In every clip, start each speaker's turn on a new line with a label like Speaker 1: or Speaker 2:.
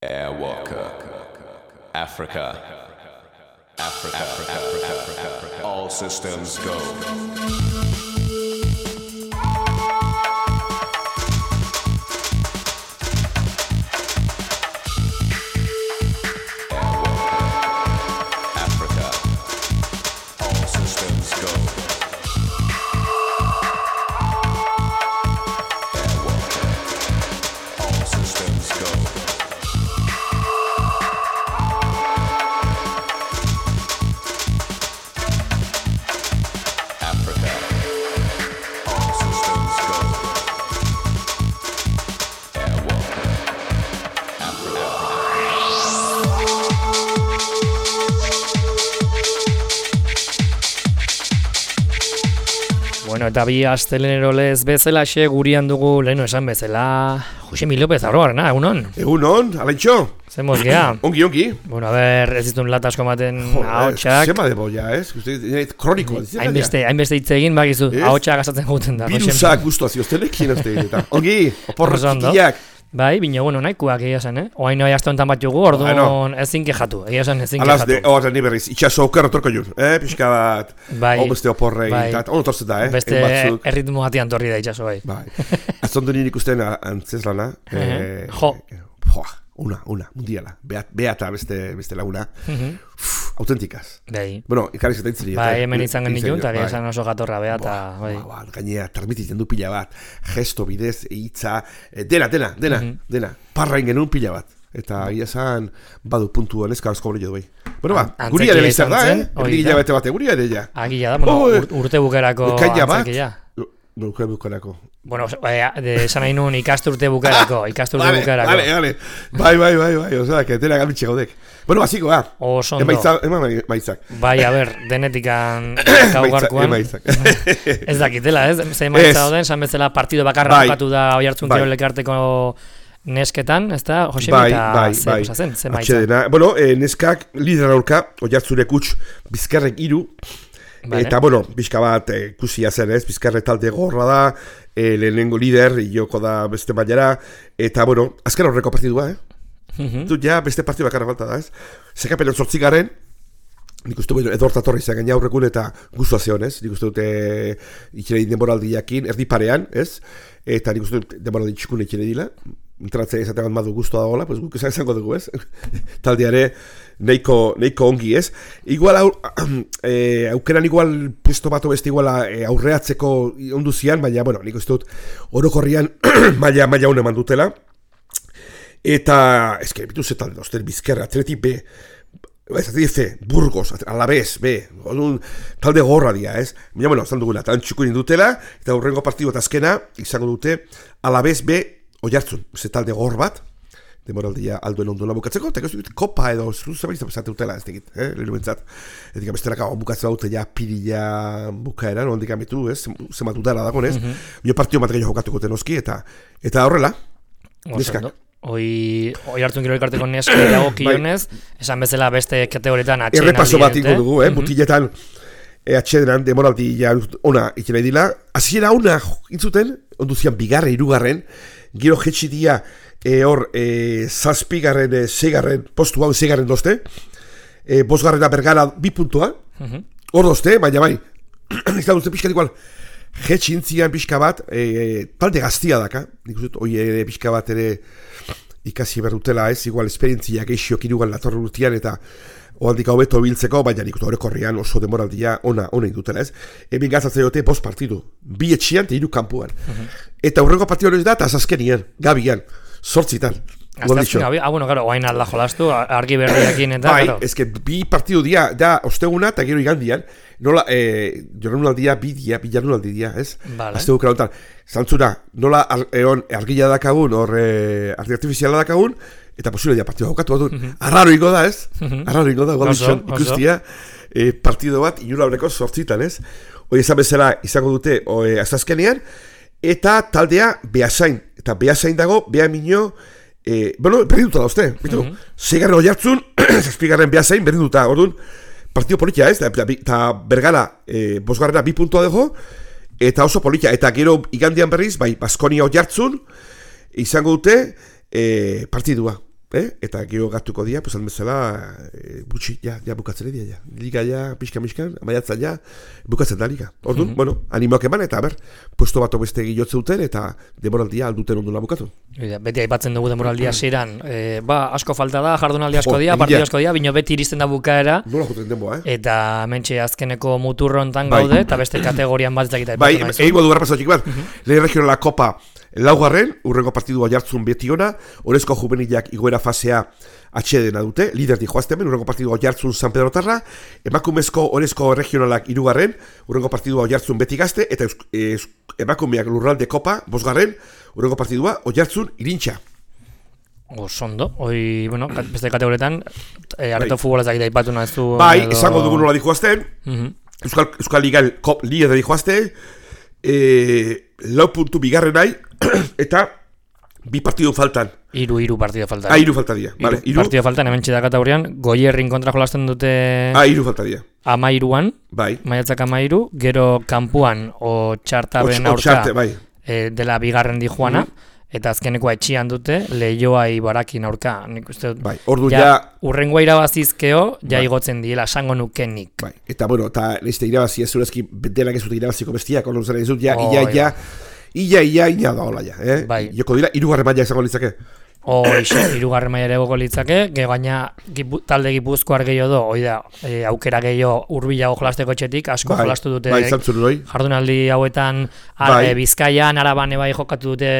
Speaker 1: Airwalker, Africa, Africa, all systems go.
Speaker 2: Bueno, eta bi astelenero lez bezalaxe gurian dugu leheno esan bezala Josemi López Arroarena, egunon?
Speaker 3: Egunon, alaitxo?
Speaker 2: Zemoz gea?
Speaker 3: Ongi.
Speaker 2: Bueno, a ver, ez ditun lat asko maten ahotsak.
Speaker 3: Zema debo ya, ez? Kroniko.
Speaker 2: Hainbeste hitz egin bakizu, ahotsak azatzen guten da.
Speaker 3: Birusak guztua zioztenekin, ez ongi, oporrak tikiak.
Speaker 2: Bai, bine, bueno, nahikoak egia zen, Oain noi aste honetan bat jugu, orduan ezin kejatu, egia zen ezin kejatu.
Speaker 3: Alaz, horren ni berriz, itxaso okerra torko jun, pixka bat, beste oporrei, eta ono torzen da,
Speaker 2: beste erritmo gatian torri da itxaso, bai.
Speaker 3: Bai, azondu nien ikusten antzeslana, una, mundiala, beata beste laguna, autentikaz.
Speaker 2: Bai.
Speaker 3: Bueno, ikarri zaten ziri.
Speaker 2: Bai, hemen izan genitun, eta esan oso gatorra beata, bai.
Speaker 3: Gainea, transmititzen du pila bat, gesto bidez, hitza, dena, parrain genuen pila bat. Eta ia zan, badu puntu neska asko hori bai. Bueno, guria ere izan da, Erdi hilabete bate, guria ere ja.
Speaker 2: Agia da, urte bukerako antzekia.
Speaker 3: Urte bukerako.
Speaker 2: Bueno, esan nahi nun ikasturte bukerako.
Speaker 3: Vale. Bai, osea, que tena gamitxe gaudek. Bueno, basiko,
Speaker 2: Osondo.
Speaker 3: Emaitzak.
Speaker 2: Bai, a ber, denetikan gaugarkuan.
Speaker 3: Emaitzak.
Speaker 2: Ez dakitela, ez? Ze emaitza doden, san bezala partido bakarra bukatu da Oiartzun Kirol Elkarteko nesketan, ez da, Josemi, eta zen, ze maitza.
Speaker 3: Bueno, neskak lidera aurka, Oiartzurek utx, Bizkarrek 3, eta, bueno, pixka bat ikusia zen, ez? Bizkarre talde gorra da, lehenengo lider, joko da beste mailara, eta, bueno, azken horreko partidua, Dut ja beste partidu bakarra falta da, ez? Zekapenean 8 nik uste edorta torri izan gaina aurrekun eta guztua zeon, ez? Nik uste dute itxerei denboraldi jakin, erdi parean, ez? Eta nik uste dute denboraldi txikun itxerei dila, entratzea izatean madu guztua da hola, pues guk izango dugu, ez? Taldeare neiko ongi, ez? Igual aukeran igual puesto bato beste igual aurreatzeko onduzian, baina, bueno, nik uste dut orokorrian maila hone mandutela. Eta, eske, bitu zetan, oster Bizkerra, Atleti B, C, Burgos, Alavés B, talde gorra dia, ez? Baina, bueno, zan duguna, tan txukurin dutela, eta hurrengo partidu eta azkena, izango dute, Alavés B, Oiartzun, ze talde gor bat, demoraldia alduen ondula bukatzeko, eta kopa edo, zuzabaiz da pesate dutela, ez digit, leheru bentzat. Eta bestelaka, bukatzen dute ja pirila bukaeran, ondik amitu, ez? Zema dudara dagoen, ez? Bio partio bat gehiago jokatuko tenoski, eta horrela, neskak.
Speaker 2: Oiartzun Kirol Elkarteko neska dago kionez, esan bezala beste kategorietan atxeden aldi.
Speaker 3: Errepaso bat ingo dugu, mutiletan atxedenan demoraldi ja ona itxera dila. Hasiera ona intzuten, onduzian bigarren, 3, gero jetxi dia hor 7. 6. postu hau 6. dozte, 5. Bergara 2 puntua, hor dozte, baina bai, ez da duzte pixkat igual, jetxi intzian pixka bat, talde gaztia daka, nik uste, hoi ere pixka bat ere ikasi berdutela, ez, igual esperientzia geixiok irugal latorre urtean, eta oaldik hau beto biltzeko, baina nik horrekorrian oso demoraldia ona indutela, ez. Hemen gazatzen dute 5 partidu, 2 etxian eta 3 kanpuan. Eta hurrengo partidu hori da, eta azazkenian, gabian, 8.
Speaker 2: Bueno, claro, oain alda jolastu, argi berriakin eta,
Speaker 3: claro. Bai, eske, 2 partidu dia, da osteguna eta gero igandian, nola, jorrenunaldia, bilarunaldi dia, ez? Azte gukera honetan, zantzura, nola argila dakagun, argi artifiziala dakagun, eta posible dia partidu haukatu bat duen. Arraro ingo da, ez? Arraro ingo da, gualditxon ikustia, partidu bat, inura horreko 8, ez? Hoi ezan bezala izango dute, azazkenean, eta taldea Beasain, eta Beasain dago, Beamino, bueno, berdinduta da uste, bitu, 6. Oiartzun, 7. Beasain, berdinduta, orduan, partido politia, ez, eta Bergara, 5. 2 puntua dugu, eta oso politia, eta gero igandian berriz, bai, Baskonia Oiartzun, izango dute, partidua. eta gero gatuko dia, pues bezala, gutxi, ja bukatzen dira, liga ja, pixka-miskan, amaiatzen ja, bukatzen da liga. Orduan, bueno, animoak eman, eta puesto bat beste gilotze duten, eta demoraldia alduten ondula bukatu.
Speaker 2: Beti aipatzen dugu demoraldia ziren, asko falta da, jardunaldi asko dia, partidu asko dia, bino beti iristen da bukaera,
Speaker 3: nola juten denboa,
Speaker 2: eta mentxe azkeneko muturrontan gaude, eta beste kategorian bat zakita.
Speaker 3: Bai, egingo du garrapazotxik bat, lehen regionala kopa, laugarren, urrengo partidua jartzun beti ona, orezko juvenilak igoera fasea atxedena dute, lider di joazte hemen, urrengo partidua jartzun San Pedro Tarra, emakumezko orezko regionalak irugarren, urrengo partidua jartzun beti gazte, eta emakumeak lurralde kopa, bosgarren, urrengo partidua jartzun irintxa.
Speaker 2: Osondo, bueno, beste kategoretan, areto futbola zakita ipatu nahezu.
Speaker 3: Bai, esango dugu nola di joazten, Euskal Liga lider di joazte, 4 puntu bigarren nahi, eta 2 partidu faltan.
Speaker 2: Hiru partidu faltan.
Speaker 3: Hiru falta dira. Vale,
Speaker 2: partidu faltan, hemen txeda kategorian, Goierrin kontra jolasten dute...
Speaker 3: Hiru falta dira.
Speaker 2: 13an,
Speaker 3: bai.
Speaker 2: Maiatzak 13, gero kanpuan, Txartaben aurka,
Speaker 3: bai.
Speaker 2: Dela bigarren di joana, eta azkenekoa etxian dute, Leioa Ibarakin aurka. Nik uste dut,
Speaker 3: bai. Ordu ja...
Speaker 2: Urrengoa irabazizkeo, ja igotzen diela, sango nukenik.
Speaker 3: Bai. Eta, bueno, eta nizte irabazi, ez zurezki, denak ez dut irabaziko bestiak, ordu zen ez dut, Ia da hola ja,
Speaker 2: Bai.
Speaker 3: Joko dira, 3. maila izango litzake.
Speaker 2: Hoxe, 3. maila ere goko litzake, gaina talde Gipuzkoar gehiago do, da, aukera gehiago urbilago jolasteko etxetik, asko jolastu dute jardunaldi hauetan, Bizkaian, Araban bai jokatu dute,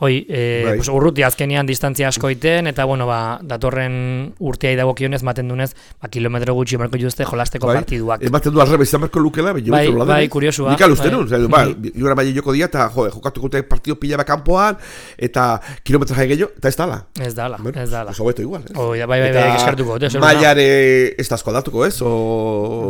Speaker 2: pues urruti azkenian distantzia asko iten, eta bueno, datorren urteai dagokionez, maten dunez, kilometro gutxi marko juzte jolasteko partiduak.
Speaker 3: Ematen du alrebe izan marko lukela,
Speaker 2: bai, kuriosua.
Speaker 3: Nik alusten nun, jura maile joko dia, eta jokatu gute partidu pila bakanpoan, eta kilometra jai gehiago, eta ez dala.
Speaker 2: Ez dala.
Speaker 3: Oso beto igual,
Speaker 2: Bai, eskartuko.
Speaker 3: Mailare ez da asko aldatuko, ez?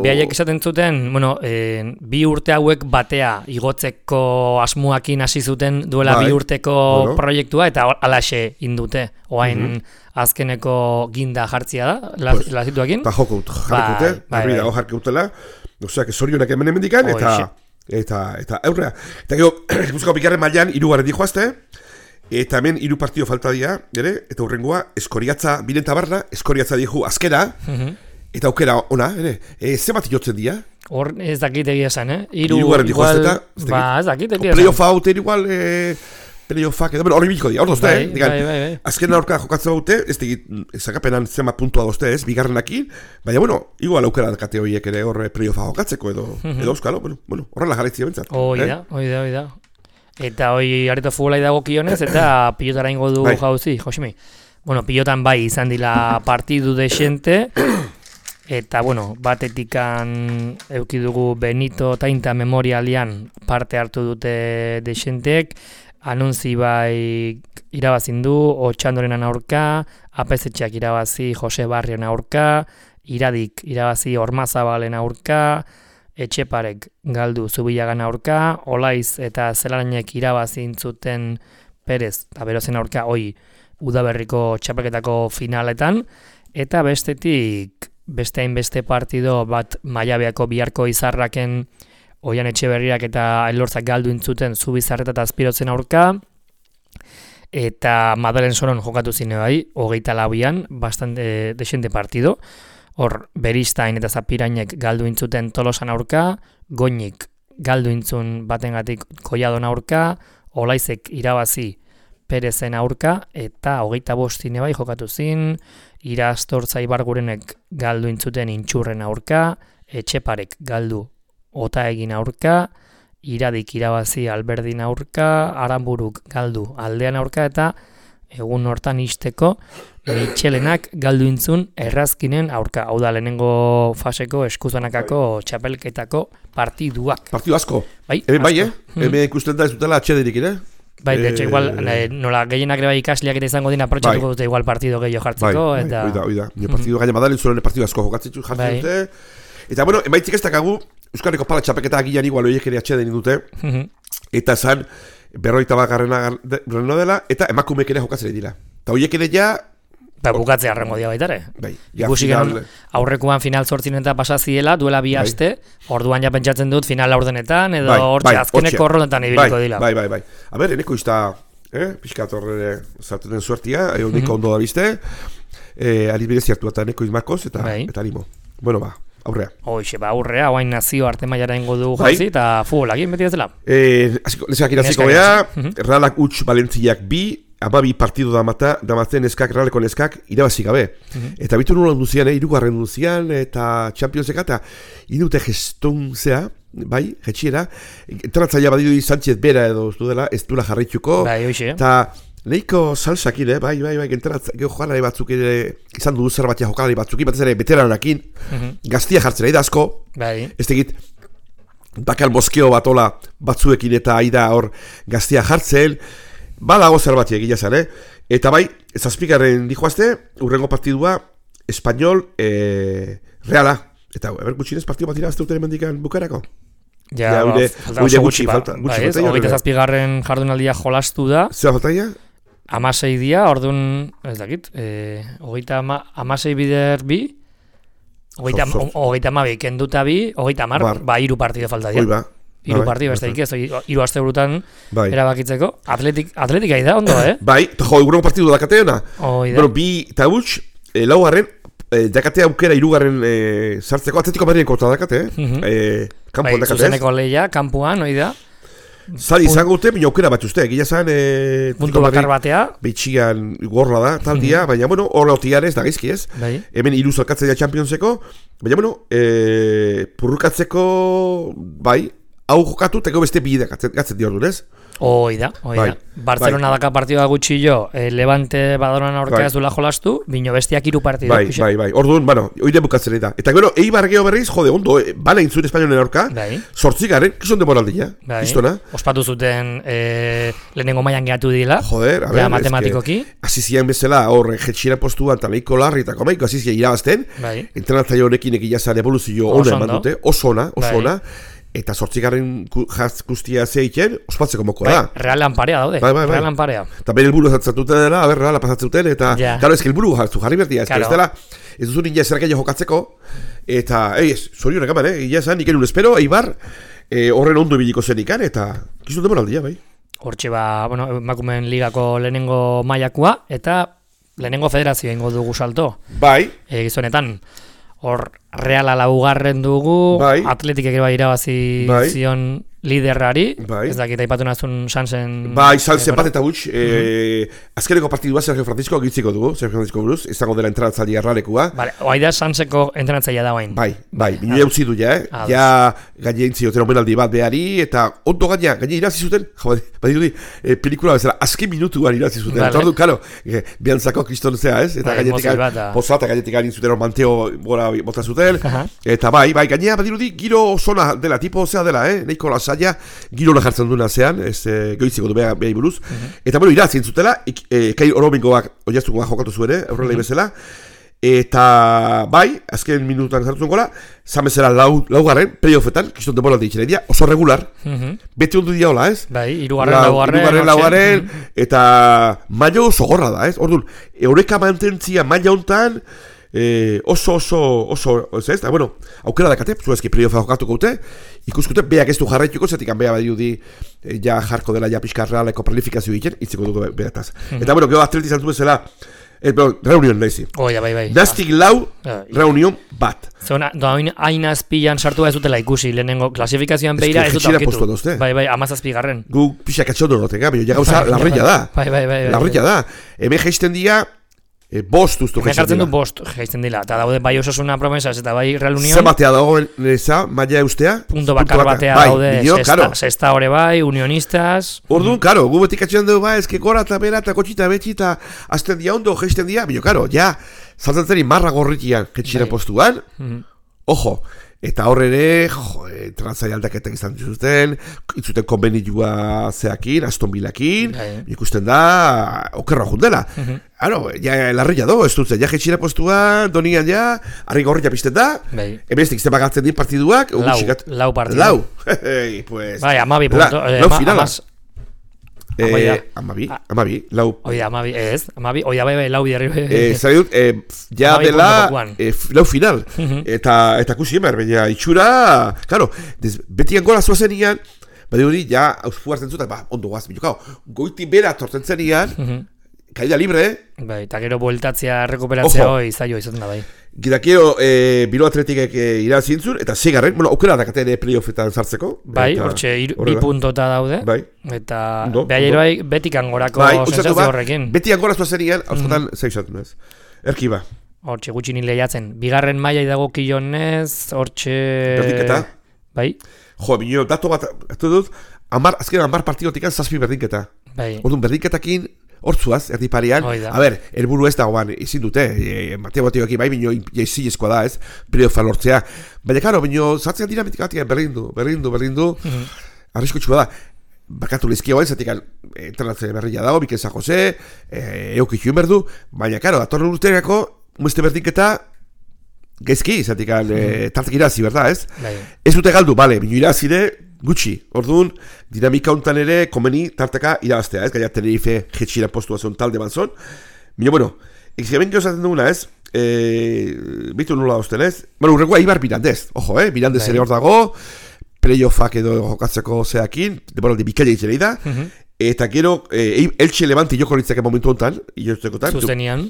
Speaker 2: Behaiek esaten zuten, bueno, 2 urte hauek batea igotzeko asmuakin hasi zuten duela 2 urteko proiektua, eta alaxe indute. Oain azkeneko ginda jartzia da, lazituakin.
Speaker 3: Eta joko jarkute, harri dago jarkeutela, oseak zorionak hemen emendikan, eta aurrea. Eta gero, Gipuzkoako bigarren mailan 3. di joazte, eta hemen 3 partido falta dira, eta hurrengoa, Eskoriatza, Binenta Barra, Eskoriatza dihu azkera, eta aukera ona, zemat jotzen dira?
Speaker 2: Hor ez dakit egia esan,
Speaker 3: 3. di joazte,
Speaker 2: ez dakit egia esan.
Speaker 3: Playoffa haute igual... Playoffak, eta hori biliko dira, hor dozte, azken aurka jokatzen dute, ez digit, zakapenan zema puntua dozte ez, bigarrenakin, baina, bueno, igual aukera dakate horiek ere hor playoffa jokatzeko edo euskalo, bueno, horrela jarraitzia bentsat.
Speaker 2: Hoi da. Eta hoi areto futbolai dago kionez, eta pilotara ingo du jauzi, Josimi. Bueno, pilotan bai izan dila partidu desente, eta, bueno, batetikan eukidugu Benito Tainta Memorialian parte hartu dute desentek, Anuntzi bai irabazin du, Otxandoren aurka, Apezetxeak irabazi Jose Barrion aurka, Iradik irabazi Ormazabalen aurka, Etxeparek galdu Zubillagan aurka, Olaiz eta Zelaranek irabazin zuten Perez eta Berozen aurka udaberriko txapelketako finaletan, eta bestetik beste hainbeste partido bat Maiabeako Biharko Izarraken Oian Etxeberriak eta Elortzak galdu intzuten Zubizarreta eta Azpirotzen aurka, eta Madalen Soron jokatu zine bai, 24an, bastante desente partido. Hor, Beristain eta Zapirainek galdu intzuten Tolosan aurka, Goinik galdu intzun batengatik Kolladon aurka, Olaizek irabazi Perezen aurka, eta 25 zine bai jokatu zin, Irastortza Ibargurenek galdu intzuten Intxurren aurka, Etxeparek galdu Ota egin aurka, Iradik irabazi Alberdin aurka, Aranburuk galdu Aldean aurka, eta egun hortan isteko Itxelenak galdu intzun Errazkinen aurka. Hau da lehenengo faseko eskuzanakako txapelketako partiduak.
Speaker 3: Partidu asko.
Speaker 2: Bai,
Speaker 3: Hemen ikusten da ez dutela atxederik,
Speaker 2: Bai, de hecho, igual, nola gehienak ere bai ikasleak ere izango dina aprotxatuko dute igual partido gehiago jartzeko.
Speaker 3: Oida. Partidu gaina Madalen Soron partidu asko jokatzen dute. Eta, bueno, emaitzik ez dakagu, Euskarriko pala txapeketa agian igual horiek ere atxeden dute, eta esan 51. dela, eta emakumeek ere jokatzen dira. Eta horiek ere ja...
Speaker 2: bukatzea arrengo dia baitare. Ikusi genuen aurrekoan final 8 eta pasaziela, duela 2 aste, orduan ja pentsatzen dut final laurdenetan, edo hortxe azkeneko horretan ibiliko dila.
Speaker 3: Bai. A ber, eneko izta Piskat horre zartu den suertia, niko ondo da bizte, adibidez hartu eta neko izmakoz, eta animo. Bueno, aurrea.
Speaker 2: Hoxe, aurrea, oain nazio arte mailara ingo du jauzi, eta futbolak beti ez dela.
Speaker 3: Neskak iraziko beha, Realak utx Valentziak 2, 12 partidu damatzen Realeko neskak irabazi gabe. Eta bitu nuen duzian, irugarren duzian, eta Championseka, eta idute gestun zea, bai, jetxiera, entratzaia badidu Sánchez bera edo ez duela jarraituko, eta nahiko salsakin, bai, entratzaia jokalari batzuk izan dudu zer batia jokalari batzukin, batez ere veteranakin, gaztia jartzen da asko, ez tegit, bakal moskeo batola batzuekin eta aida hor gaztia jartzen, badago zer batia egila zan, eta bai, zazpikarren dijoazte, urrengo partidua, Espanyol, Reala. Eta, gutxinez partidu bat irazte urteren mendikan bukarako?
Speaker 2: Ja, falta gutxi falta. Hogeita zazpigarren jardunaldia jolastu da.
Speaker 3: Zer faltaia?
Speaker 2: 16 dia, orduan, ez dakit, hogeita 16 bider bi, hogeita 12 kenduta bi, hogeita 10, hiru partidu falta dira. Hiru partidu, besterik ez, hiru aste burutan erabakitzeko. Atletika da, ondo,
Speaker 3: Bai, eta urrengo partidu dakateena. Bueno, bi eta huts, laugarren, dakatea aukera irugarren sartzeko, Atletiko Madriden kontra dakate, kampuan dakate.
Speaker 2: Zuzeneko lehia, kampuan, oida.
Speaker 3: Zari izango dute, bina aukera bat uste, gila zan...
Speaker 2: Puntu bakar batea.
Speaker 3: Beitxigan gorla da, taldia, baina, bueno, horre otian ez da gaizki ez. Hemen iruz alkatzea Championseko, baina, bueno, purrukatzeko, bai, hau jokatu, teko beste bide gatzen di orduan ez.
Speaker 2: Oida. Barcelona daka partidua gutxi jo, Levante badoran aurka ez duela jolastu, bino bestiak hiru partidu.
Speaker 3: Bai. Orduan, bueno, oide bukatzen da. Eta gero, Eibar geho berriz, jode, ondo, bala intzuen Espainolen aurka, sortzigaren, kizon demoraldia, iztona.
Speaker 2: Ospatu zuten lehenengo mailan gehatu dila,
Speaker 3: joder,
Speaker 2: matematikoki.
Speaker 3: Asizian bezala, hor, jetxira postuan, taleiko larri eta komaiko, asizia irabazten, entrenatzaio honekin egilazan evoluzio ona eman dute, oso ona, eta sortzigarren guztia zeiken, ospatzeko moko da.
Speaker 2: Realan parea daude. Realan parea.
Speaker 3: Eta bere helburu zatzatuten dela, Reala pasatzuten, eta claro, ezke helburu jarri bertia, ez dela, ez duzu ninja zerakaia jokatzeko, eta, zorionak eman, gila esan, iken un espero, Eibar, horren ondo biliko zenikan, eta kizun demoraldia, bai.
Speaker 2: Hortxe emakumeen ligako lehenengo mailakoa, eta lehenengo federazioa ingo dugu salto.
Speaker 3: Bai.
Speaker 2: Gizonetan. Hor, Reala laugarren dugu, Atletik ere irabazi zion liderrari, ez dakit aipatu nazun Sansen...
Speaker 3: Sansen bat eta huts, azkeneko partidua Sergio Francisco gitziko dugu, Sergio Francisco buruz, izango dela entrenatzailea Realekua.
Speaker 2: Oai da Sanseko entrenatzailea da bain.
Speaker 3: Bai, minua eutzi du ja, ja gaine entzioten omenaldi bat behari, eta ondo gaina irazi zuten, badirudi, pelikula bezala, azken minutuan irazi zuten, eta ordu, karo, biantzako kriston zea ez, eta gainetik posata, gainetik gain zuten manteo gora bota zuten, eta bai, gainea badirudi, giro osona dela, tipo zea dela, nahiko lasaia, giro jartzen duna zean, goiziko du behar buruz, eta bueno, irazien zutela, kai oromingoak oiaztuko jokatu zuere, aurrelei bezala, eta bai, azken minututan zartzen gola, zamezela laugarren, playoffetan, kiston demoraldi itxera idia, oso regular, beti ondu dia hola, ez?
Speaker 2: Bai, irugarren
Speaker 3: laugarren, eta maio oso gorra da, ez? Orduan, eureka mantentzia maila hontan, oso, ez da, bueno, aukera dakate, zuezki playoffa jokatuko dute, ikuskute, beak ez du jarraituko, zetik beha badiudi, ja jarko dela ja pixka Realeko planifikazio egiten, itziko dugu behataz. Eta, bueno, geho atleti zantu bezala, reunion nahizi.
Speaker 2: Bai.
Speaker 3: Nastik lau, reunion bat.
Speaker 2: Zona, haina azpilan sartu ez dutela ikusi, lehenengo klasifikazioan behira ez dut aurkitu. Bai, 17garren.
Speaker 3: Gu pixak atxondo noteka, baina ja gauza larrilla da.
Speaker 2: Bai.
Speaker 3: Larrilla da. Hemen geisten dia, bost ustu
Speaker 2: geisten dila. Bost geisten dila, eta daude bai osasuna promesas eta bai Real Unión.
Speaker 3: Zer batea dago neza, maia eustea?
Speaker 2: Punto bakar batea daude, sexta hori bai, unionistas.
Speaker 3: Orduan, karo, gu betik atxean dugu bai, ezke gora eta bera eta kotxita betxita, azten dia ondo, geisten dia, bino, karo, ja, saltzen marra gorritian, jetxiren postuan, ojo, eta horre trantzai aldaketak izan zuten, itzuten konbenitua zeakin, Aston Villakin, ikusten da, okerra jundela. Ja, larria do, ez dutzen, ja jetxira postua, donian ja, harri gorria pizten da, emestik izan bagatzen din partiduak,
Speaker 2: lau partidu.
Speaker 3: Lau, pues...
Speaker 2: Bai, 12 punto,
Speaker 3: lau finala. Amabi, lau.
Speaker 2: Oida, amabi, ez, amabi, oida bai, lau biderri.
Speaker 3: Zari dut, ja dela, lau final, eta kusi emer, baina itxura, claro, betian gola zuazen ian, Badi hori, ja, auspu hartzen zuten, ondo guaz, bilokau, goiti bera tortzen zenian, kaida libre,
Speaker 2: Bai, eta gero bueltatzea, rekuperatzea hoi, zailo izaten da, bai.
Speaker 3: Gidakio, Bilbao Athleticek irazintzun, eta segarren, aukera dakaten playoffetan sartzeko.
Speaker 2: Bai, hortxe, 2 puntota daude,
Speaker 3: bai.
Speaker 2: Eta behar bai, betik angorako sensazio horrekin.
Speaker 3: Beti angoraztua zenian, hauskotan, zaizatu nez. Erki ba.
Speaker 2: Hortxe, gutxi nile jatzen. Bigarren maila idago kionez, hortxe...
Speaker 3: Berdinketa.
Speaker 2: Bai.
Speaker 3: Jo, bineo, dato bat, azken 10 partidotikan 7 berdinketa.
Speaker 2: Bai.
Speaker 3: Orduan, berdinketakin, hortzuaz, erdi parean, helburu ez dagoan, izin dute, Mateo-Mateoekin bai, bineo, jaizilezkoa da, ez, playoffan lortzea. Baina, karo, bineo, zatzen dinamitika batean berrindu, arriskutxua da. Bakatu lizkia guain, zatik entrenatzen berria dago, Mikel San Jose, eukitxuen berdu, baina, karo, datorren urteako, mueste berdinketa, gaizki, zatik tartak irazi, berda, ez? Ez dute galdu, bale, bineo irazide, gutxi, orduan, dinamika hontan ere komeni tartaka irabaztea, ez? Gaia Tenerife jetxira postua zon talde banzon. Mino, bueno, examen geozaten duguna, ez? Bitu nola hozten, ez? Bueno, urrengoa Ibar Mirandez, ojo, Mirandez ere hor dago, playoffak edo jokatzeko zeakin, demoraldi bikaila itzerei da, eta gero, Elche Levante joko litzake momentu hontan,
Speaker 2: Zuzenian,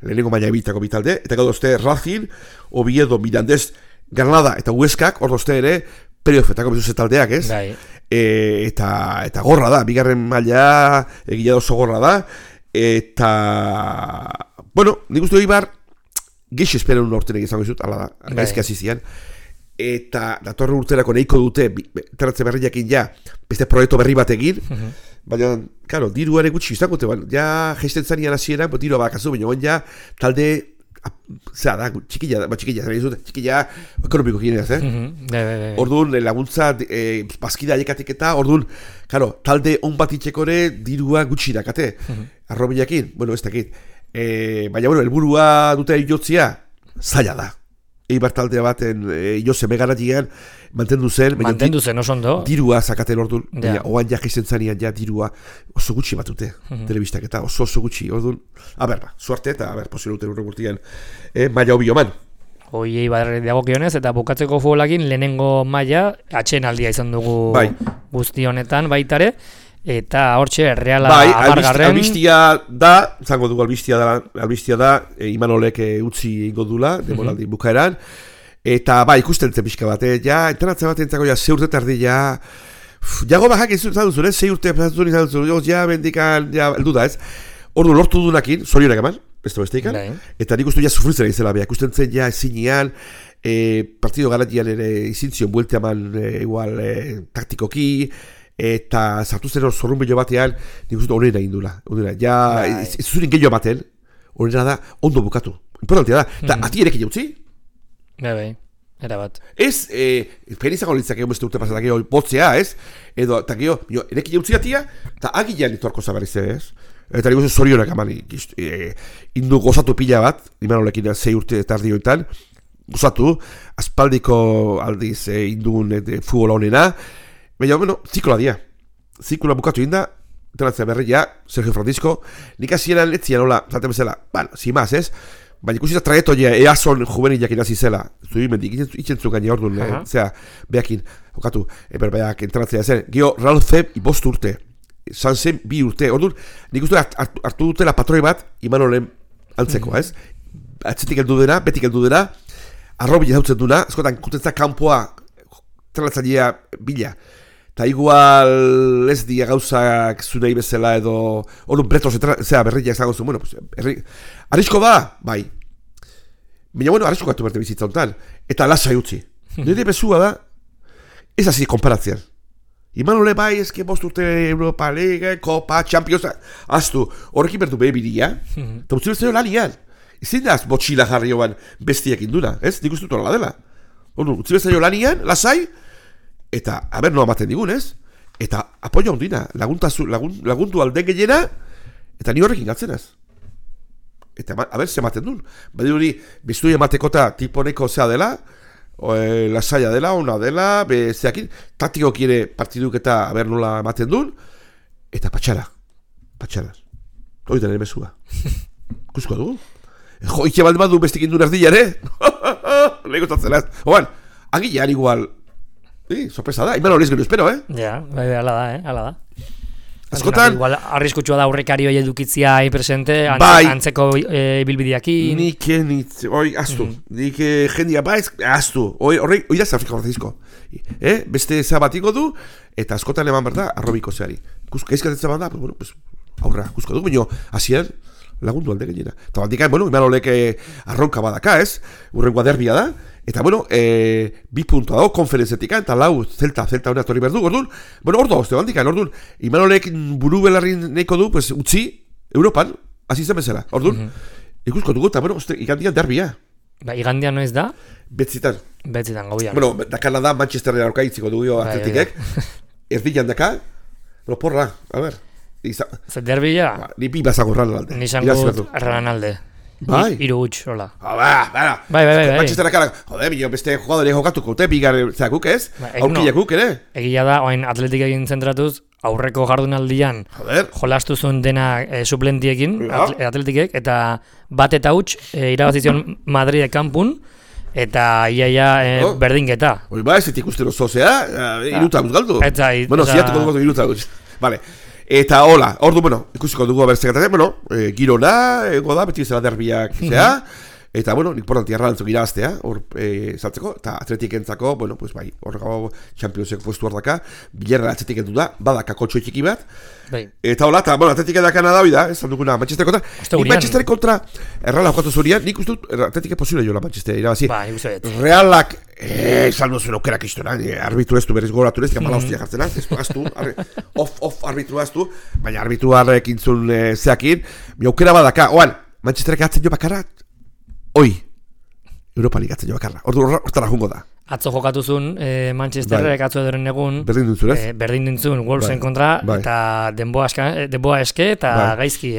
Speaker 3: lehenengo maila ebitako bitalde, eta gero dozte Racing, Oviedo, Mirandez, Granada eta Hueskak, hor dozte ere, playoffetako bezuz taldeak, ez?
Speaker 2: Bai.
Speaker 3: Eta gorra da, bigarren maila egia oso gorra da, eta bueno, nik uste Ibar geixo esperen urtenek izango izut, ala da, gaizki hasi zian, eta datorren urterako nahiko dute terratze berriakin ja, beste proiektu berri bat egin, baina, karo, diruare gutxi izango dute, ja, geisten zanian hasieran, dirua bakazu, baina ja, talde zera da, txikilla ekonomiko gineaz, Orduan, laguntza, bazkida aiekatik eta, orduan, karo, talde on bat itxekore dirua gutxi dakate, arrobiakin, bueno, ez dakit. Baina, bueno, helburua dute jotzia, zaila da. Eibar taldea baten jose megaratian mantendu zen,
Speaker 2: oso ondo.
Speaker 3: Dirua zakaten orduan, oan ja geizten zanean ja dirua oso gutxi batute, telebistak eta oso gutxi, orduan, suerte eta posibiluten urregurtian, maila hobi oman.
Speaker 2: Hoi Eibar dagokionez eta bukatzeko futbolakin lehenengo maila atxenaldia izan dugu guzti honetan baitare. Eta hortxe, Reala amargarren...
Speaker 3: Albistia da, zango dugu albistia da, Imanolek utzi ingo dula, demoraldi bukaeran. Eta ikusten zen pixka bat, entrenatzen bat entzako ze urte tardi, jago bajak izan duzun, 6 urte izan duzun, bendikan, eldu da ez. Ordu lortu dunakin, zorionak eman, beste ikan, eta nik uste sufritzen egizela, ikusten zen ezinean, partido garatian ere izintzion buelte eman igual taktikoki, eta zartu zen zorrun bello batean, nik uste honena indula. Ez zurin gehiago ematen, honena da, ondo bukatu. Importantia da, eta ati ere jautzi?
Speaker 2: Bai, erabat.
Speaker 3: Ez, penizako litzak egon beste urte pasatak egon botzea, ez? Edo, eta geho, ere jautzi atia, eta agilean itorko zabarriz, ez? Eta nik uste zorionak eman, indu gozatu pila bat, Imanolekin 6 urte tardi honetan, gozatu, aspaldiko aldiz indun futbola honena. Baina, bueno, zikloa dia. Zikloa bukatu inda, entrenatzea berria, Sergio Francisco, nik hasieran etzian hola, zaten bezala, sin más, ez? Baina ikusita trajetoia eazon juvenilak inazi zela, zui mendik, itxentzun gaine orduan, behakin, okatu, berbaiak entrenatzea zen, geho, Ralfe bost urte, Sanzen 2 urte, orduan, nik uste hartu dutela patroi bat, Imanolen antzeko, ez? Atzetik heldu dena, betik heldu dena, arrobi jautzen duna, eskotan, kutentza kanpoa, entrenatzailea bila, eta igual ez dia gauzak zunei bezala edo orduan bretos berriak zago zuen, bueno, arrisko da, bai. Baina, bueno, arrisko gatu berte bizitza honetan, eta lasai utzi. Nire bezua da, ez hasi konparatzean. Imanole bai, ezke bost urte Europa League, Copa, Champions, aztu, horrekin bertu behe bidia, eta utzi bezala lanian. Ezin da botxila jarri joan bestiak induna, ez? Nik uste dut horrela dela. Orduan, utzi bezala lanian, lasai, eta, noa maten digun, ez? Eta, apoio ondina, laguntu alden gehiena, eta ni horrekin gatzenaz. Eta, ze maten duen. Badi hori, biztu ematekota tiponeko zea dela, lasaia dela, ona dela, zeakin, taktiko kire partiduk eta nola maten duen, eta patxara. Hori da nire mesua. Kusko dugu? Jo, ike balde badu bestekin duen erdila, ere? Lego tatzenaz. Oan, agilean igual, sorpresa da, iman horiz gero espero,
Speaker 2: Ja, bai, ala da.
Speaker 3: Askotan...
Speaker 2: Igual, arriskutsua da aurrekari hori edukitzia presente, antzeko ibilbideakin.
Speaker 3: Aztu. Nik jendia baiz, aztu. Hori da Afrika Francisco. Beste zabatiko du, eta askotan eman behar da, arrobiko zeari. Gaizkatzen zaban da, aurra, kusko du, baina hasieran lagundu alde gainera. Eta bandikan, iman olek arronka badaka, urrengoa derbia da. Eta, 2 puntua dago, konferenzetik, eta lau, zelta hori atorri behar du, orduan, ordu hozte bandikan, orduan, Imanolek buru belarrin neko du, pues, utzi, Europan, hasi zen bezala, orduan, ikusko dugu, eta, igandian derbia.
Speaker 2: Igandian noiz da?
Speaker 3: Betzitan,
Speaker 2: gauian.
Speaker 3: Dakana da, Manchesterren aurka itziko dugu atletikek, erdian daka, porra, a ber.
Speaker 2: Zer derbia?
Speaker 3: Ni bi bazagorran alde.
Speaker 2: Nisango erran alde.
Speaker 3: Bai.
Speaker 2: Iru gutx, hola.
Speaker 3: Bai. Manchesterra kara, joder, beste jugadore jokatuko, bigar zakuk ez? Aurkilekuk ere?
Speaker 2: Egia da, oain atletik egin zentratuz, aurreko jardunaldian jolastu zuen dena suplentiekin, atletikek, eta bat eta huts, irabazizion Madridek kanpun, eta iaia berdinketa.
Speaker 3: Hori ba, ez ikusten osozea, iruta galdu. Ziatuko dugu iruta gutz. Vale. Eta hola, ordu, ikusiko dugu abertzekatazen, girona, ego da, beti bezala derbiak, eta, importanti arrantzuk irabaztea, hor, saltzeko, eta atletik entzako, pues bai, horrego Championsek puestu hor daka, bilerra atletik entu da, badaka kotxo txiki bat, eta hola, eta, atletik edakana da, oida, ez dukuna Manchester kontra, Manchester kontra, errala jokatu zurian, nik uste dut, atletik posible jola Manchester, irabazi, realak, saldo zuen aukerak iztona, arbitru ez du berriz goratu ez, gamala hostia jartzen az, ez du, aztu, off arbitru aztu, baina arbitruarek intzun zeakin, mi aukera badaka, oan, Manchesterek atzen jo bakarra, hoi, Europa Ligatzen jo bakarra, hortara jungo da.
Speaker 2: Atzo jokatu zuen Manchesterrek atzo edoren egun
Speaker 3: berdin dintzun, ez?
Speaker 2: Berdin dintzun, Wolvesen kontra, eta denboa eske eta gaizki,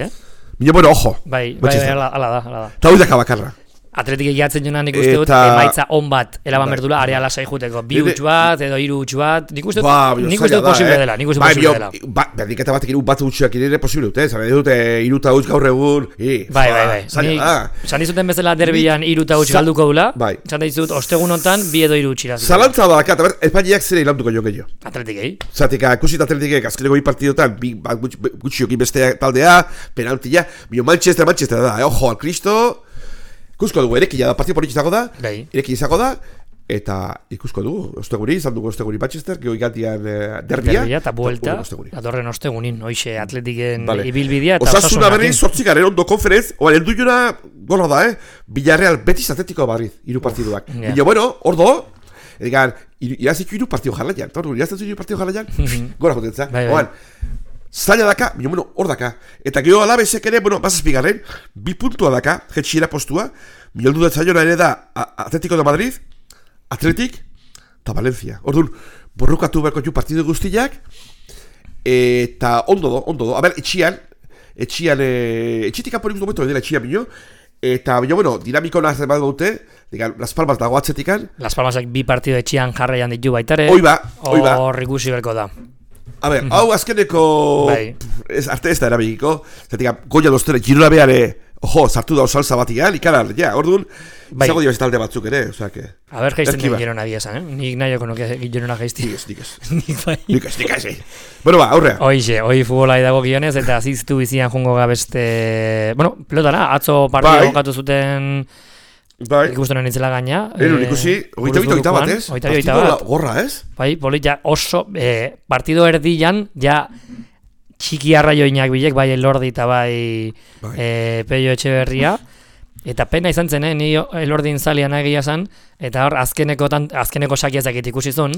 Speaker 3: Mino, ojo.
Speaker 2: Bai, ala da.
Speaker 3: Eta hoi daka bakarra.
Speaker 2: Atletik egiatzen joan nik uste dut, emaitza on bat, eraban berdula, area lasai juteko, 2 huts bat, edo 3 huts bat, nik uste dut posible dela,
Speaker 3: Berdiketa batek bat hutsak ere posible dute, zara dut, 3 huts gaur egun,
Speaker 2: bai, zan dizuten bezala derbian 3 huts galduko dula, zan dizut, ostegun hontan, 2 edo 3 huts iraz.
Speaker 3: Zalantza da, eta Espainiak zere ilanduko jo gehiago.
Speaker 2: Atletikei.
Speaker 3: Zatik, ikusit atletikek, azkeneko 2 partidotan, gutxiokin beste taldea, penaltia, Manchester da, ojo, al Cristo. Ikusko dugu, erekia da, partio politxe izango da, izango da, eta ikusko dugu, osteguri, izan dugu osteguri Manchester, geho igantian derbia,
Speaker 2: eta buelta, adorren ostegunin, hoxe atletiken ibilbidea, eta
Speaker 3: Osasuna berri, 8 ondo konferenz, oan, eldu jona, gorra da, Villarreal Betis Atletico Madrid, 3 partiduak. Bino, ordo, egan, irazitu 3 partidu jarlaian, irazitu 3 partidu jarlaian, gora jotentza, oan, zaila daka, hor daka. Eta geho alabezek ere, bazazpigarren, 2 puntua daka, jetxiera postua, miloldu da zaiona ere da Atletico de Madrid, Atletik, eta Valencia. Orduan, borrukatu berko ju partidu guztiak, eta ondo do. A ber, etxitik aporik momentu edela etxian bino, eta dinamiko nazten bat gaute, Las Palmas dago atzetikan.
Speaker 2: Las Palmasak 2 partidu etxian jarraian ditu baitare.
Speaker 3: Hoi ba.
Speaker 2: Hor ikusi berko da.
Speaker 3: A ber, hau azkeneko arte ez da erabikiko, zetik goia doztere, Girona beare, sartu da osalza batian, ikaran, orduan, zago dio talde batzuk ere, osake.
Speaker 2: A ber, jaizten den Girona biazan, Nik nahioko nuke Girona jaizti.
Speaker 3: Nik ez. Bueno, aurrea.
Speaker 2: Hoi futbola edago gionez, eta ziztu bizian jungo gabeste, pelotara, atzo partida jokatu zuten, ikusten nintzela gaina.
Speaker 3: Ikusi, 22 bat, ez? Partido gorra, ez?
Speaker 2: Bai, polita oso, partido erdian, ja txiki arraioinak bilek, bai Elordi eta bai Pello Etxeberria. Eta pena izan zen, ni Elordin zalian egia zan, eta hor azkeneko sakiazak ikusi zuen.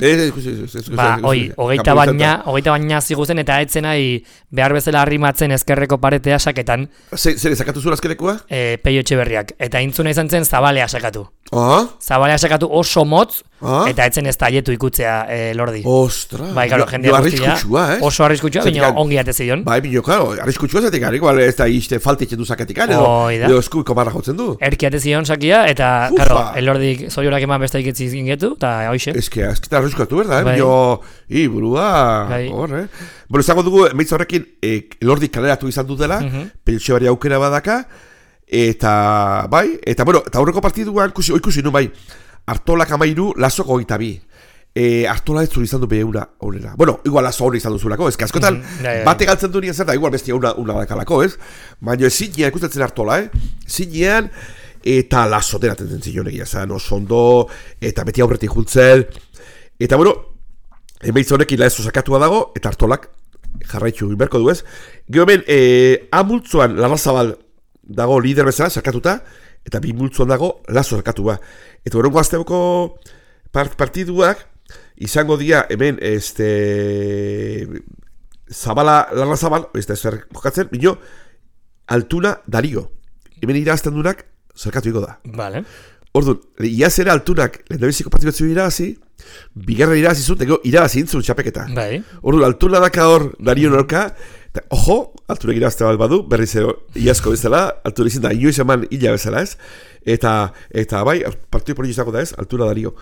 Speaker 2: Hogeita baina ziguzen, eta etzen nahi behar bezala arrimatzen ezkerreko paretea saketan.
Speaker 3: Zer sakatu zuen azkenekoa?
Speaker 2: Pello Etxeberriak. Eta intzuna izan zen Zabalea sakatu. Zabalea sakatu oso motz, eta etzen ez taietu ikutzea Elordi.
Speaker 3: Ostra!
Speaker 2: Bai, karo, jendea guztia. Oso arriskutsua, bino ongi atezion.
Speaker 3: Bai, bino, karo, arriskutsua zetik, igual ez da izte faltitzen du saketik, edo eskuiko marra jotzen du.
Speaker 2: Erki atezion sakia, eta, karo, Elordik zoriorak eman besta iketzi zingetu, eta hoxe.
Speaker 3: Ezkita arriskuatu, berda, bino, burua, hor, Bueno, izango dugu, emaitza horrekin, Elordik kaleratu izan dut dela, Peltxebaria aukera badaka, eta, bai, eta, bueno, eta aurreko partiduan, ikusi nu, bai, Artolak 13, Lasok 22. Artola ez zuri izan du behe una honera. Bueno, igual azo hori izan duzulako, ez que askotan bate galtzen du nien zer da, igual bestia una dakalako, ez? Baina ez zinean ikustatzen Artola, zinean eta laso deraten zen zion egia zen, oso ondo, eta beti aurretik jultzen, eta bueno, emaitza honekin laezo sakatua dago, eta Artolak jarraitzu berko du ez. Gero hemen, amultzuan Larrazabal dago lider bezala sakatuta, eta bi multzuan dago lazo sakatua. Eta horrengo azteko partiduak, izango dira hemen Zabala, Larrazabal, ez da zer jokatzen, bino Altuna Dario. Hemen irazten dunak zerkatu iko da.
Speaker 2: Vale.
Speaker 3: Orduan, iazera Altunak lehendabiziko partibetzu irabazi, bigarren irabazi zut, ego irabazi intzun txapeketa.
Speaker 2: Bai.
Speaker 3: Orduan, Altuna daka hor Dario norka, eta ojo, Altunak irabazte badu, berriz iazko bezala, Altunak izin da inoiz eman hila bezala ez, eta bai, partidu politi izango da ez, Altuna Dario.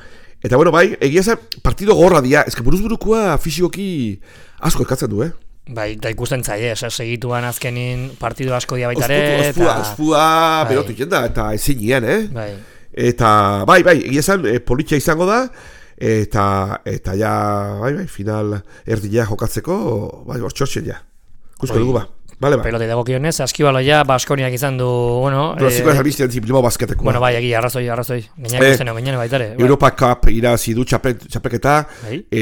Speaker 3: Eta bueno, bai, egia zen, partido gorra dia, ezke buruz-burukua fisikoki asko eskatzen du,
Speaker 2: Bai, da ikusten zaie, segituan azkenin partidu asko dia baitare.
Speaker 3: Ospua berotu jenda, eta ezin nien,
Speaker 2: Bai.
Speaker 3: Eta, bai, egia zen, politia izango da, eta ja, bai, final erdila jokatzeko, bai, bortxortzen ja. Kusko dugu ba. Vale,
Speaker 2: pelota dago kionez, Askibaloia Baskoniak izan du, bueno,
Speaker 3: Ziko albiztean Bilbao basketekoa.
Speaker 2: Bueno, bai, egia, arrazoi. Gainak ikusten gainak baitare.
Speaker 3: Europa Cup irazi du txapeketa,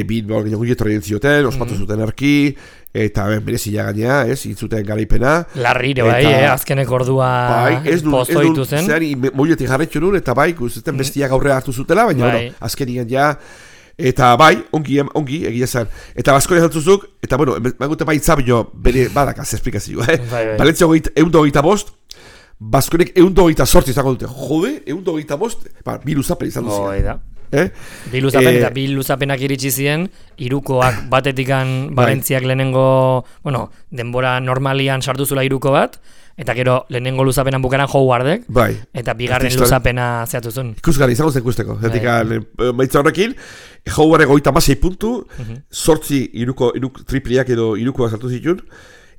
Speaker 3: Bilbao gainak torrien zioten, ospatu zuten erki, eta berezila gainea, intzuten garaipena.
Speaker 2: Larrire, bai, azkenek ordua posto dituzen.
Speaker 3: Zer, moiletik jarretxu nun, eta bai, guztetan bestiak aurre hartu zutela, baina, bueno, azkenian ja. Eta bai, ongi, egia zen. Eta Baskonia jantzuzuk, eta bueno, magute bai itzabio, bere badakaz esplikazioa, Balentzia 125, Baskonek 128 izango dute. Jode, 125, bi luzapen izan duzien.
Speaker 2: Bi luzapen eta bi luzapenak iritsi ziren, irukoak batetikan Balentziak lehenengo, bueno, denbora normalian sartu zula iruko bat, eta gero lehenengo luzapenan bukaran Howardek, eta bigarren luzapena zeatu zuen.
Speaker 3: Ikusgarri, izango zen ikusteko. Maitza horrekin, Howardek 36 puntu, 8 iruko tripliak edo irukoak sartu zituen,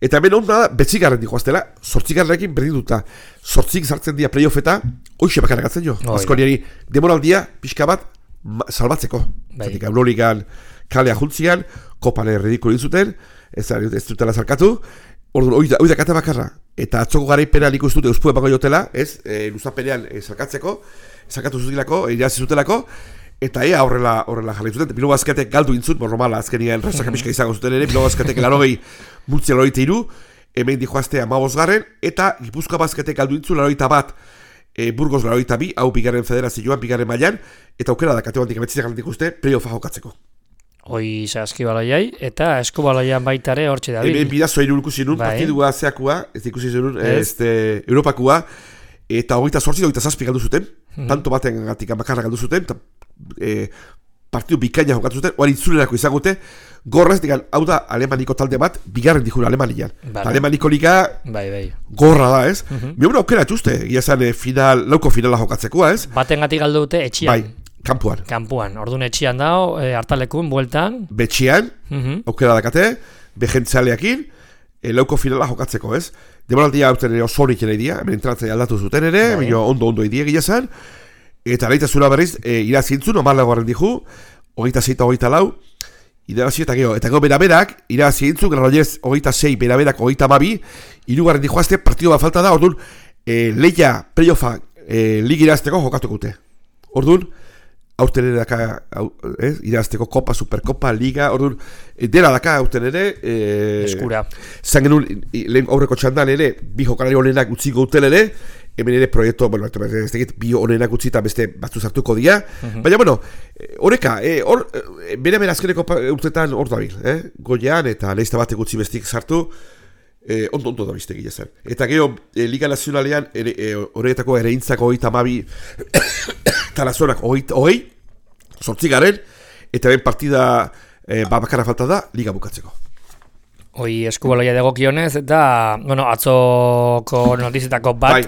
Speaker 3: eta hemen onda da, betzigarren dikoaztela, 8garrekin berdin duta. 8 sartzen dira playoffeta, hoxe bakaragatzen jo. Baskoniari demoraldia, pixka bat, salbatzeko. Zatik, Euroligan kalea juntzian, kopane ridikulo zuten, ez dutela zarkatu, orduan, oida kate bakarra. Eta atzoko garaipena nik uste dute euspue bango jotela, luzapenean zarkatu zutilako, irazi zutelako, eta horrela jarri zuten. Bilbao Basketek galdu intzut, normala azkenien rasaka pixka izango zuten ere, Bilbao Basketek 80 multzia 83, hemen dijoazte 15garren, eta Gipuzkoa Basketek galdu intzut 81, Burgos 82, hau bigarren federazioan, bigarren mailan, eta aukera da kate bandik ametziak galdik uste, playoffa jokatzeko.
Speaker 2: Hoi Askibaloiai, eta Eskubaloian baitare hortxe dabil.
Speaker 3: Hemen bidazoa irulkusi nun, partidua zeakua, ez ikusi zenun, Europakua, eta 28-27 galdu zuten, tanto baten gatik bakarra galdu zuten, partidu bikaina jokatu zuten, oan intzulerako izangote, gorrez, digan, hau da Alemaniko talde bat, bigarren dikun Alemanian. Alemaniko liga gorra da, ez? Miobra aukera txuste, egia zan lauko finala jokatzekoa, ez?
Speaker 2: Baten gatik galdu dute etxian.
Speaker 3: Kampuan.
Speaker 2: Orduan etxian dao, hartalekun, bueltan.
Speaker 3: Betxian, aukera dakate, behentzaleakin, lauko finala jokatzeko, ez? Demoraldia hauten ere osorik ere idea, hemen entratzea aldatu zuten ere, ondo idea egia zan, eta leita zura berriz, irazintzun, omarlagoaren dihu, 26-24, irabazi eta gero beraberak, irabazi intzun, Granollers 26, beraberak 22, irugarren dijoazte, partido bat falta da, orduan, leia playoffa ligi irazteko jokatuko dute. Orduan, aurten ere daka, irazteko kopa, superkopa, liga, orduan, dela daka aurten ere,
Speaker 2: eskura.
Speaker 3: Zan genuen, lehen aurreko txandan ere, bi jokalari honenak utziko duten ere, hemen ere proiektu, bueno, ez dakit, bi honenak utzi eta beste batzu zartuko dira, baina, bueno, horreka, bere azkeneko urtetan hor dabil, goian eta lehizta batek utzi bestik sartu, ondo da bizte gila zen. Eta gero, Liga Nazionalean, horretako ere intzako 32, talazonak 20, 8 eta ben partida bakarra falta da, Liga bukatzeko.
Speaker 2: Hoi Eskubaloia dagokionez eta, bueno, atzoko notizetako bat.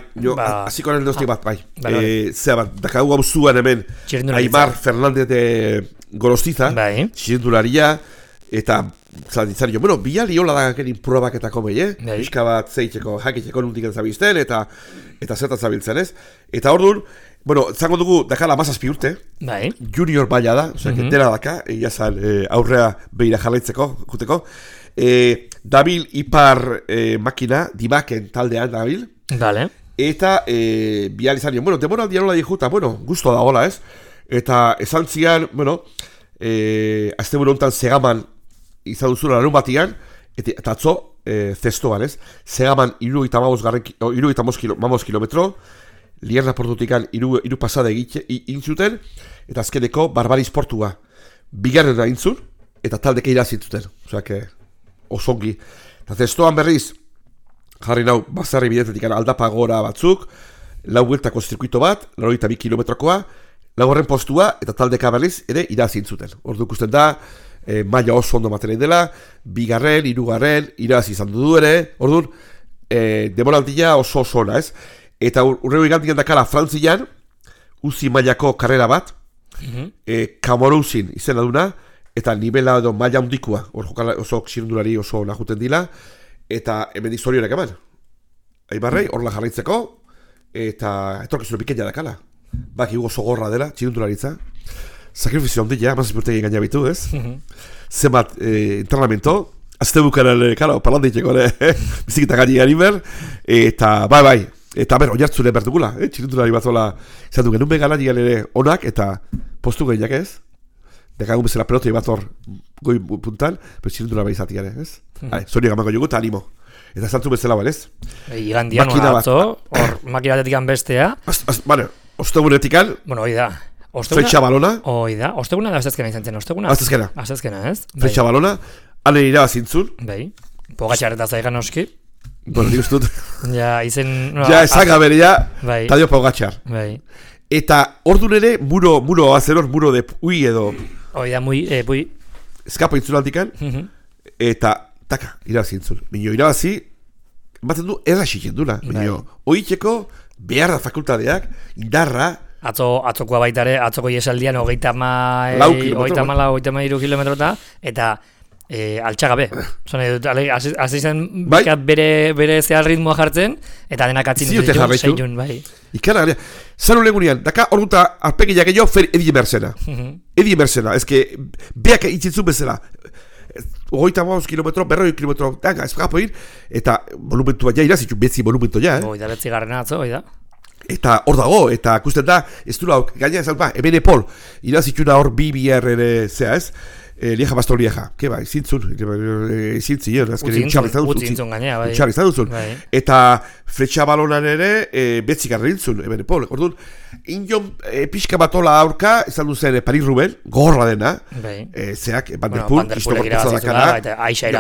Speaker 3: Hasiko nel doztik bat, bai. Zera bat, dakagu hau zuan hemen, Aimar Fernández de Gorostiza, txirendularia, eta zalditzari jo, bueno, biali hola da genin probaketako behi, Bizka bat zeitzeko, jakiteko nuntik zabiltzen, eta zertan zabiltzen, ez? Eta orduan, Bueno, zango dugu dakala 17 urte.
Speaker 2: Bai.
Speaker 3: Junior baila da, osea, dela daka, iazan aurrea behira jarraitzeko, juteko. Dabil ipar makina, dibaken taldean dabil.
Speaker 2: Dale.
Speaker 3: Eta bihal izan nion, bueno, demoraldia nola dihuta, bueno, gusto da hola, ez? Eta esan zian, bueno, azte buru honetan Segaman izan duzula larun batian, eta atzo, zestoan, ez? Segaman 75 kilometro, Lierna portutikan iru pasada intzuten, eta azkeneko Barbariz portua. Bigarren intzun, eta taldeke irazintzuten. Osea, osongi. Eta zestoan berriz, jarri nau, bazarri bidetetik aldapa gora batzuk, lau bueltako zirkuito bat, 82 kilometrokoa, laugarren postua, eta taldeka berriz, ere irazintzuten. Ordu ikusten da, maila oso ondo maten dela, bigarren, hirugarren, irazi izan du ere, orduan, demoraldia oso ona, ez? Eta urrego igantian dakala Frantzian, uzi mailako karrera bat, Kamorusin izena duna, eta nivela edo maila hundikua, oso xirundulari oso nahuten dila, eta hemen dizorionak eman. Aibarrei, horla jarraitzeko, eta etorkizuna pikenia dakala. Baki oso gorra dela, xirundularitza. Sakrifizio ondila, mazizpurtegi gaina bitu, ez? Zenbat entrenamento, azte bukaran, palanditzeko, bizikita gaini ganiber, eta bai, eta ber, oinartzune bertukula, txirundulari bat zola, izan du genuen begala nigan ere onak, eta postu gehiak ez? Dekagun bezala pelotei bat hor goi puntan, pero txirundulari izatik ere, ez? Zoriak amako jogu eta animo. Eta zantzu bezala, balez?
Speaker 2: Igandian hona atzo, hor makina batetik bestea.
Speaker 3: Bale, ostegunetikan.
Speaker 2: Bueno, hoi da.
Speaker 3: Fletxa balona.
Speaker 2: Hoi da, osteguna da aztezkena izan zen, osteguna? Aztezkena, ez?
Speaker 3: Fletxa balona, ane irabazintzun.
Speaker 2: Bai, pogatxarreta zaigan oski.
Speaker 3: Bueno, ni ustut.
Speaker 2: Ja, izen...
Speaker 3: Ja, esan gabere, ja, Tadio Pogacar.
Speaker 2: Bai.
Speaker 3: Eta ordun ere, muro azeros, muro de pui edo...
Speaker 2: Hoi da, pui.
Speaker 3: Eskapo intzun altikan, eta, taka, irabazintzun. Minio, irabazi, ematen du, erraxik jenduna. Minio, oitxeko, behar da fakultadeak, indarra...
Speaker 2: Atzokoa baitare, atzoko iesaldian, 33 kilometrota, eta... altxagabe. Hasi zen bere zehar ritmoa jartzen, eta denak atzin zeitun, bai.
Speaker 3: Ikara, zanu legunean, daka orduta arpegiak gehiago fer Edi Emersena. Edi Emersena, ezke, beak itzitzun bezala. 35 kilometro, 40 kilometro, daga, eskapo egin, eta volumentu bat ja irazitxun, betzi volumentu ja,
Speaker 2: Oida, betzi garrena atzo, oida.
Speaker 3: Eta hor dago, eta kusten da, ez du lau, gaina ez alpa, ebene pol, irazitxuna hor BBR zea ez, Lieja Bastor Lieja, ke bai, zintzun,
Speaker 2: utzintzun gainea, bai.
Speaker 3: Utxarri izan duzun. Eta fletxa balonan ere, betzik arrintzun, ebene pol. Orduan, indion pixka batola aurka, izan duzen Paris Ruben, gorra dena, zeak, Van der Poel,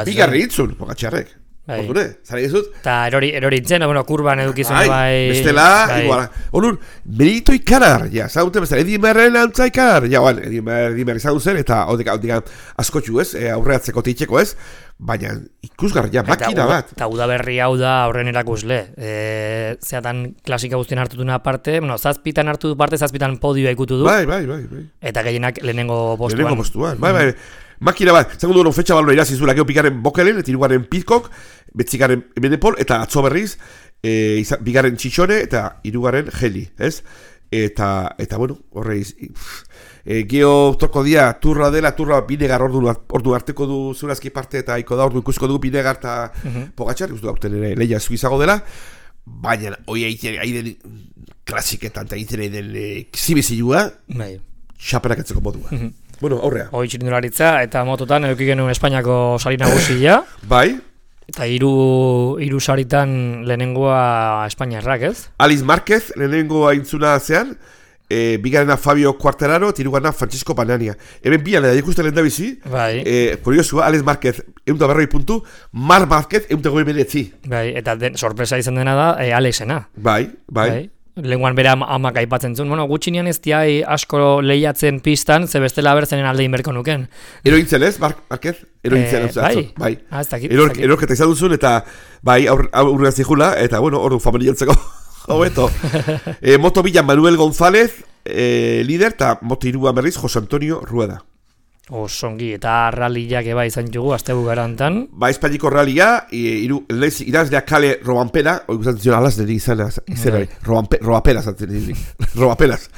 Speaker 3: bigarri intzun, Pogacarrek. Ordune, zara dizut?
Speaker 2: Eta erori itzen, kurban edukizun bai...
Speaker 3: Bestela, iguala. Orduan, merito ikarar, ja, zaudute bezala, Edi Emerren antza ikarar, ja, Edi Emerren izan duzen, eta hodikan askotxu ez, aurreatzeko teitxeko ez, baina ikusgarri, ja, makina bat.
Speaker 2: Eta udaberri hau da aurren erakusle. Zeatan klasika guztien hartutuna parte, zazpitan hartu du parte, zazpitan podioa ikutu du.
Speaker 3: Bai.
Speaker 2: Eta gehienak lehenengo postuan.
Speaker 3: Bai. Makina bat, zango duen fetxa balona irazizula, geho pikaren Bokelen, eta irugaren Pitcock, betzikaren Benepol, eta atzo berriz, bigaren Txitxone, eta irugaren Heli, ez? Eta bueno, horreiz, geho toko dia, turra dela, turra Binegar ordu harteko du zurazki parte, eta iko da ordu ikusko du Binegar eta Pogacar, ikustu da urten ere lehia zuizago dela, baina, hoi aiden klasiketan, eta aiden zibizilua, xaperak etzeko modua. Bueno, aurrea.
Speaker 2: Hoi txirindularitza, eta mototan eduki genuen Espainiako sari nagusia.
Speaker 3: Bai.
Speaker 2: Eta hiru saritan lehenengoa Espainiarrak, ez?
Speaker 3: Alex Márquez lehenengoa intzuna zean, bigarena Fabio Quartararo, eta hirugarrena Francisco Banania. Hemen bian, ikusten lehen da bizi.
Speaker 2: Bai.
Speaker 3: Kuriosua, Alex Márquez, 140 puntu, Marc Márquez, 149.
Speaker 2: Bai, eta sorpresa izan dena da, Alexena.
Speaker 3: Bai.
Speaker 2: Lenguan bera amak aipatzen zuen, gutxinean ez diai asko lehiatzen pistan, ze bestela bertzenen alde inberko nuken.
Speaker 3: Erointzen ez, Márquez? Erointzen, bai.
Speaker 2: Ez dakit.
Speaker 3: Erorketa izan duzun, eta bai, aurrean zihula, eta bueno, ordu familiantzeko hobeto. Moto bilan Manuel González, líder, eta moto iruan berriz, José Antonio Rueda.
Speaker 2: Osongi, eta ralliak eba izan jugu, azte bugarantan.
Speaker 3: Ba, Espainiko rallia, irazleak kale Robampera, hori guztatzen zion alaz niri izanari, Robaperas, Robaperas.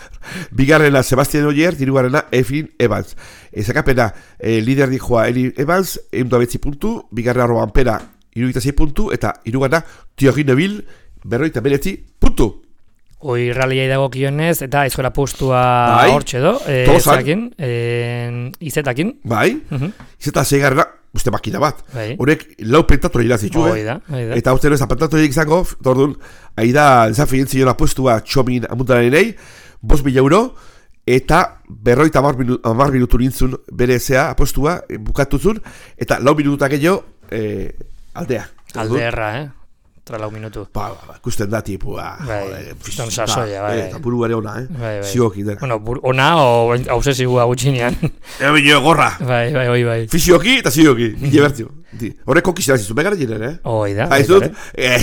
Speaker 3: Bigarrena Sebastian Ogier, dirugarrena Efrin Evans. Ezakapena, lider dijoa Eli Evans, 109 puntu, bigarrena Robampera, 76 puntu, eta hirugarrena Thierry Neuville, 49 puntu.
Speaker 2: Hoi ralliai dagokionez, eta eskola postua hortxe do, izetakin.
Speaker 3: Bai, izeta zeigarrena, uste makina bat. Horek lau pentatore irazitu, eta uste ez pentatore izango, tordun, aida desafien zion apostua txomin amuntaranei, 5.000 euro, eta 50 minutu nintzun bere zea apostua bukatuzun, eta 4 minutak gehiago aldea.
Speaker 2: Aldeerra, Lau minutu.
Speaker 3: Ikusten da tipua.
Speaker 2: Fiston sasoia, bai.
Speaker 3: Eta buru gare ona, Zioki dena.
Speaker 2: Bueno, ona o obsesiua gutxinean.
Speaker 3: Bino gorra.
Speaker 2: Bai.
Speaker 3: Fisioki eta zioki. Mille bertio. Horrek kokizera zizu, begara jenen,
Speaker 2: Hoi da.
Speaker 3: Haizut,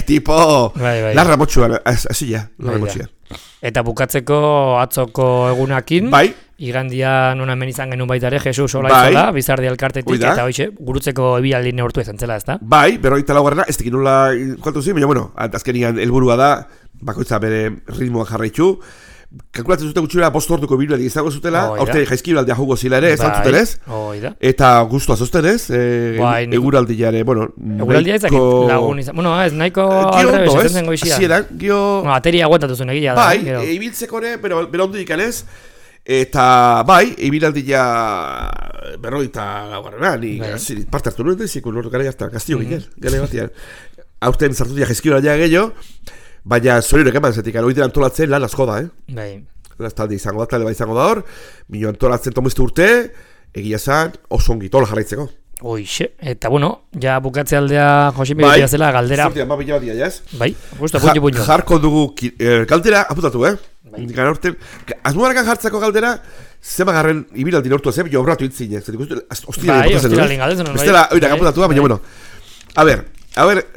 Speaker 3: tipo, larra motxuan, azila, larra motxuan.
Speaker 2: Eta bukatzeko atzoko egunakin.
Speaker 3: Bai.
Speaker 2: Igandia nuna hemen izan genuen baita ere, Jesus Olaizola, Bizardi Alkartetik, eta hoxe, gurutzeko ebialdi neurtu ezan zela, ezta?
Speaker 3: Bai, 54. Ez tekin nola kualtu zi, baina, bueno, azkenian helburua da, bakoitza bere ritmoa jarraitu, kalkulatzen zuten gutxura 5 orduko biluetik izango zutela, aurte jaizkibaldea jugo zila ere, ez zuten ez? Eta guztua zozten ez, eguraldia ere, bueno,
Speaker 2: eguraldia ezak lagun izan, bueno, ez, nahiko aldrebes, ez zen goizia.
Speaker 3: Zieran, gio...
Speaker 2: Ateria aguantatu zuen egia da.
Speaker 3: Bai, ibiltzeko ere, bera ondo ikan ez, eta bai, ibilaldia berroita laugarrenan, parte hartu nuen dezik, gara jartan, gaztio ginen, gane batian. Aurten zartutia jaizkibala ja gehiago, baina zorionek eman zetik, hori dira antolatzen lan asko da,
Speaker 2: Bai.
Speaker 3: Talde izango da, talde bai izango da hor, mino antolatzen tomezte urte, egia zan, oso ongi tola jarraitzeko.
Speaker 2: Hoixe, eta bueno, ja bukatze aldea Josemi betia zela galdera.
Speaker 3: Zortia, ma bila batia, jaz?
Speaker 2: Bai, justo, puño.
Speaker 3: Jarko dugu galdera, aputatu, Gara horten, azmuarakan jartzeko galdera, zema garren ibilaldi nortu ez, jo obratu intzin,
Speaker 2: Bai, ostiralin galdetzen.
Speaker 3: Bestela, oirak aputatu da, baina, bueno. A ver,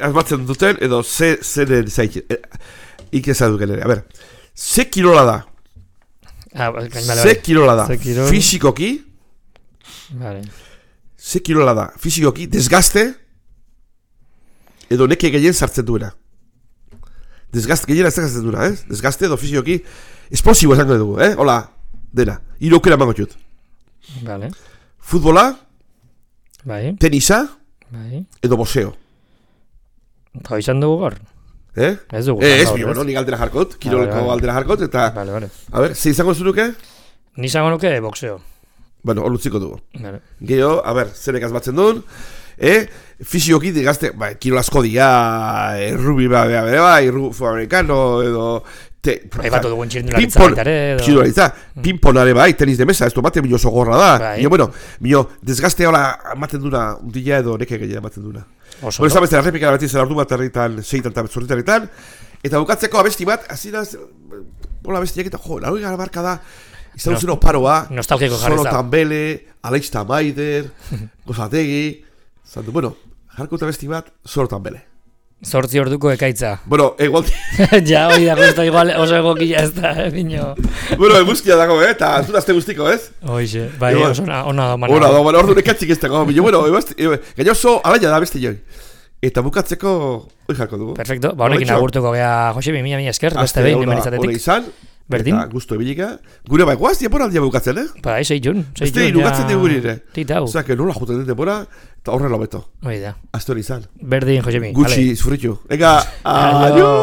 Speaker 3: azbatzen duten, edo zeren zaik, ikezaduk ere, a ver, ze kirola da? Ze kirola da? Fisikoki?
Speaker 2: Vale.
Speaker 3: Ze kirola da? Fisikoki, desgaste? Edo neke gehien sartzen duena? Desgaste, gehiena ez desgasten duena, Desgaste edo fisikoki, esplosibo esango dugu, Hola, dena, irokera mango txut.
Speaker 2: Vale.
Speaker 3: Futbola?
Speaker 2: Bai.
Speaker 3: Tenisa?
Speaker 2: Bai.
Speaker 3: Edo boseo?
Speaker 2: Hau izan dugu gaur? Ez dugu.
Speaker 3: Ez bi, bueno, nik aldera jarkot, kiroleko aldera jarkot, eta...
Speaker 2: Vale.
Speaker 3: A ver, ze izango zunuke?
Speaker 2: Ni izango nuke boxeo.
Speaker 3: Bueno, hor lutziko dugu.
Speaker 2: Vale.
Speaker 3: Geho, a ver, zenek azbatzen duen, fisioki digazte, kirol asko dia, rubi rufu amerikano, edo...
Speaker 2: Batu dugun txirindularitza baitare, edo...
Speaker 3: Txirindularitza, pinponare bai, tenis de mesa, ez du ematen oso gorra da. Mio, bueno, desgaste hola ematen duna, undila edo neke gehiago ematen duna. Bueno, ez da beste, errepikara beti zer ardu bat erritan, seitan eta zorritan, eta bukatzeko abesti bat, azinaz, bola abestiak eta, laroi gara barka da, izan duzen oparoa,
Speaker 2: nostalgiko jarri
Speaker 3: Solo Tambele, Aleix Tamaider, Gozategi, zandu, bueno, jarko eta abesti bat, Solo Tambele.
Speaker 2: 8 orduko ekaitza.
Speaker 3: Bueno, igual...
Speaker 2: Ja, hori da, justo, igual oso egokila ez da, bino.
Speaker 3: Bueno, eguzkia dago, eta azte guztiko, ez?
Speaker 2: Hoxe, bai, oso ona domana.
Speaker 3: Ona domana, ordu nekatzik ez dago, bino, bueno, gaino oso alaia da beste joi. Eta bukatzeko, hoi jarko dugu.
Speaker 2: Perfecto, ba honekin agurtuko gea, Josemi, mila esker, beste behin, hemen izatetik.
Speaker 3: Hone izan,
Speaker 2: berdin.
Speaker 3: Eta gustu ebilika. Gure bai, guaz, diaporaldia bukatzen,
Speaker 2: Ba, 6 jun.
Speaker 3: Beste irugatzen dugu nire.
Speaker 2: Titau.
Speaker 3: Osa, que nola juten den depora, eta horre lobeto.
Speaker 2: Hoi da.
Speaker 3: Azte hori izan.
Speaker 2: Berdin, Josemi.
Speaker 3: Gutxi, zurritu. Ega, adio!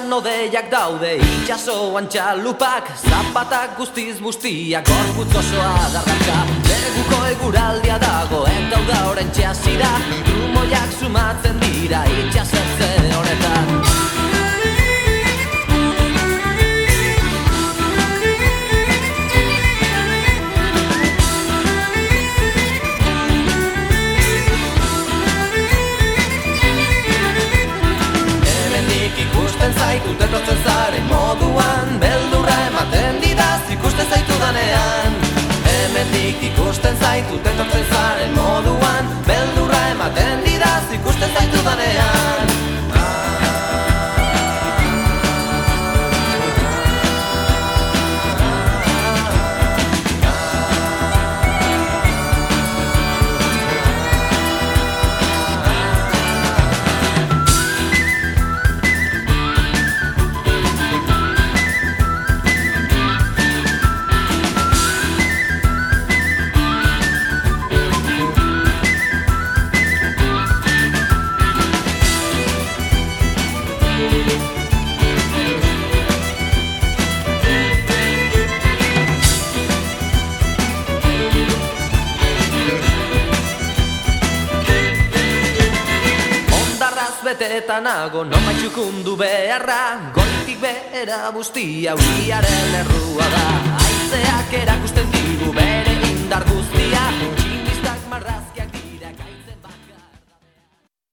Speaker 4: Itxasuan odeiak daude, itxasoan txalupak, zapatak guztiz bustiak, gorputz osoa darraka. Neguko eguraldia dago, eta da orain txasira, trumoiak sumatzen dira, itxasertze honetan. Ikusten zaitut etortzen zaren moduan, beldurra ematen didaz ikusten zaitu danean. Hemendik ikusten zaitut etortzen zaren moduan, beldurra ematen didaz ikusten zaitu danean. Beteta nago, noma txukundu beharra, goitik behera guztia uriaren errua da. Haizeak erakusten